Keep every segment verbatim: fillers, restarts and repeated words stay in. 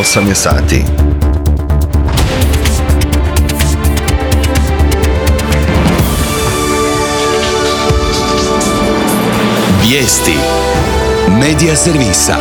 osam je sati. Vijesti Medija servisa.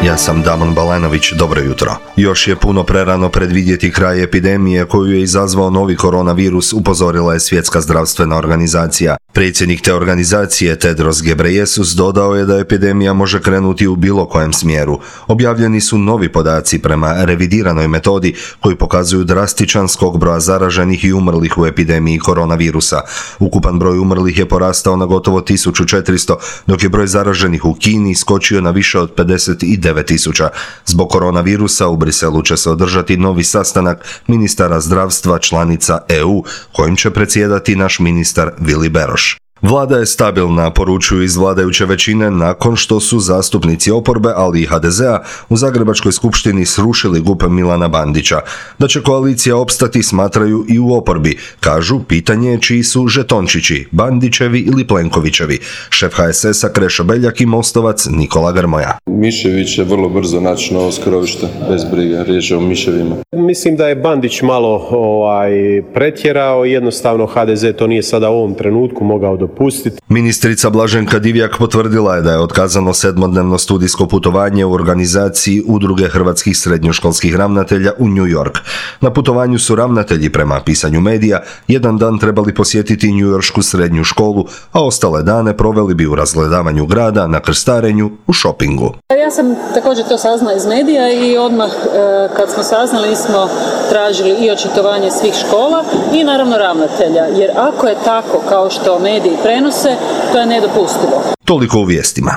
Ja sam Damon Balanović, dobro jutro. Još je puno prerano predvidjeti kraj epidemije koju je izazvao novi koronavirus, upozorila je Svjetska zdravstvena organizacija. Predsjednik te organizacije Tedros Ghebreyesus dodao je da epidemija može krenuti u bilo kojem smjeru. Objavljeni su novi podaci prema revidiranoj metodi koji pokazuju drastičan skok broja zaraženih i umrlih u epidemiji koronavirusa. Ukupan broj umrlih je porastao na gotovo tisuću četiristo, dok je broj zaraženih u Kini skočio na više od pedeset devet tisuća. Zbog koronavirusa u Briselu će se održati novi sastanak ministara zdravstva članica E U, kojim će predsjedati naš ministar Vili Beroš. Vlada je stabilna, poručuju iz vladajuće većine, nakon što su zastupnici oporbe, ali i ha de zea, u Zagrebačkoj skupštini srušili G U P Milana Bandića. Da će koalicija opstati smatraju i u oporbi. Kažu, pitanje je čiji su žetončići, Bandićevi ili Plenkovićevi. Šef ha es esa Krešo Beljak i mostovac Nikola Grmoja. Mišević će vrlo brzo naći novo skrovište, bez brige, riječ je o miševima. Mislim da je Bandić malo ovaj, pretjerao, jednostavno ha de ze to nije sada u ovom trenutku mogao dopustiti. Ministrica Blaženka Divjak potvrdila je da je otkazano sedmodnevno studijsko putovanje u organizaciji Udruge hrvatskih srednjoškolskih ravnatelja u New York. Na putovanju su ravnatelji, prema pisanju medija, jedan dan trebali posjetiti njujoršku srednju školu, a ostale dane proveli bi u razgledavanju grada, na krstarenju, u šopingu. Ja sam također to saznala iz medija i odmah e, kad smo saznali smo tražili i očitovanje svih škola i naravno ravnatelja, jer ako je tako kao što mediji prenose, to je nedopustivo. Toliko u vijestima.